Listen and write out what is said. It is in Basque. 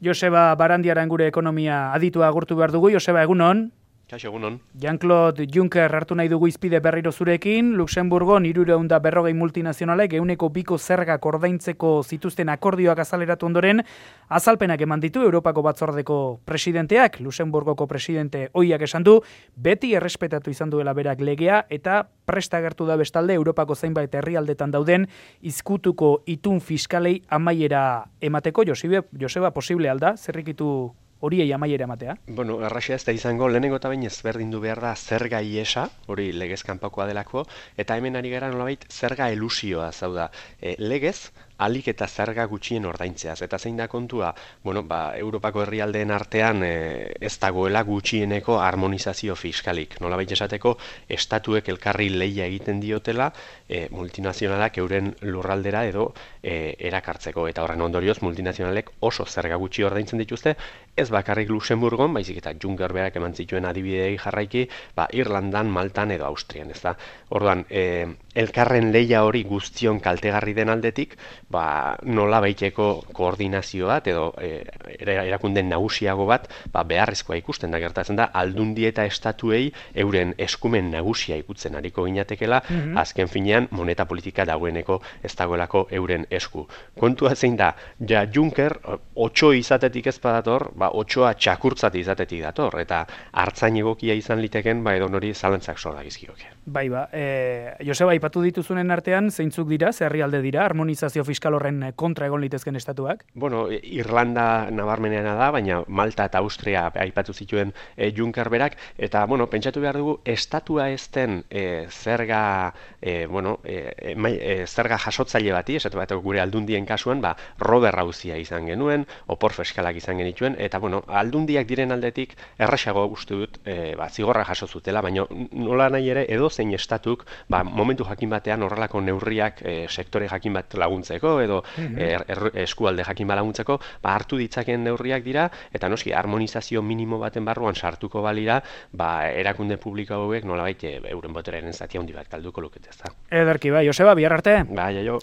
Joseba Barandiaran gure ekonomia aditua agurtu behar dugu. Joseba, egunon. Kaixo, egunon. Jean-Claude Juncker hartu nahi dugu izpide berriro zurekin. Luxemburgon 340 multinazionalek 102 zergak ordaintzeko zituzten akordioak azaleratu ondoren, azalpenak eman ditu Europako batzordeko presidenteak. Luxemburgoko presidente ohiak esan du, beti errespetatu izan duela berak legea eta presta agertu da bestalde Europako zainbait herrialdetan dauden izkutuko itun fiskalei amaiera emateko. Joseba, posible alda, zerrikitu horiei amaiera ematea? Bueno, erraxia ez da izango, lehenengo eta bain ezberdindu behar da zerga iesa, hori legez kanpakoa delako, eta hemen ari gara nolabait zerga elusioa, zau da, legez, alik eta zerga gutxien ordaintzeaz. Eta zein da kontua, Europako herrialdeen artean ez dagoela gutxieneko harmonizazio fiskalik. Nolabait esateko, estatuek elkarri lehia egiten diotela, multinazionalak euren lurraldera edo erakartzeko. Eta horren ondorioz, multinazionalek oso zerga gutxi ordaintzen dituzte, ez bakarrik Luxemburgon, baizik eta Juncker berak eman zituen adibidei jarraiki, Irlandan, Maltan edo Austrian, ez da. Orduan, elkarren lehia hori guztion kaltegarri den aldetik, nola baiteko koordinazio bat edo erakunden nagusiago bat beharrezkoa ikusten da, gertatzen da aldundi eta estatuei euren eskumen nagusia ikutzen ariko ginatekela, azken finean moneta politika dagoeneko ez dagoelako euren esku. Kontua zein da, Juncker 8 izatetik ez badator, 8a txakurtzat izatetik dator, eta hartzain egokia izan liteken, edo nori zalantzak sorda gizkioke. Joseba, aipatu dituzunen artean, zeintzuk dira, herrialde dira, harmonizazio fiskal horren kontra egon litezken estatuak? Bueno, Irlanda nabarmeneana da, baina Malta eta Austria aipatu zituen Juncker berak, eta, pentsatu behar dugu, estatua ez den zerga jasotzaile bati, esatu bat gure aldundien kasuan, Robert Auzia izan genuen, opor fiskalak izan genituen, eta, aldundiak diren aldetik erraxago uste dut zigorra jaso zutela, baina nola nahi ere edozein estatuk momentu jakin batean horrelako neurriak sektore jakin bat laguntzeko edo eskualde jakin bat laguntzeko hartu ditzaken neurriak dira, eta noski harmonizazio minimo baten barruan sartuko balira, erakunde publiko hauek nolabait euren boteraren zati handi bat galduko lukete, ezta. Ederki, Joseba, bihar arte. Jaio.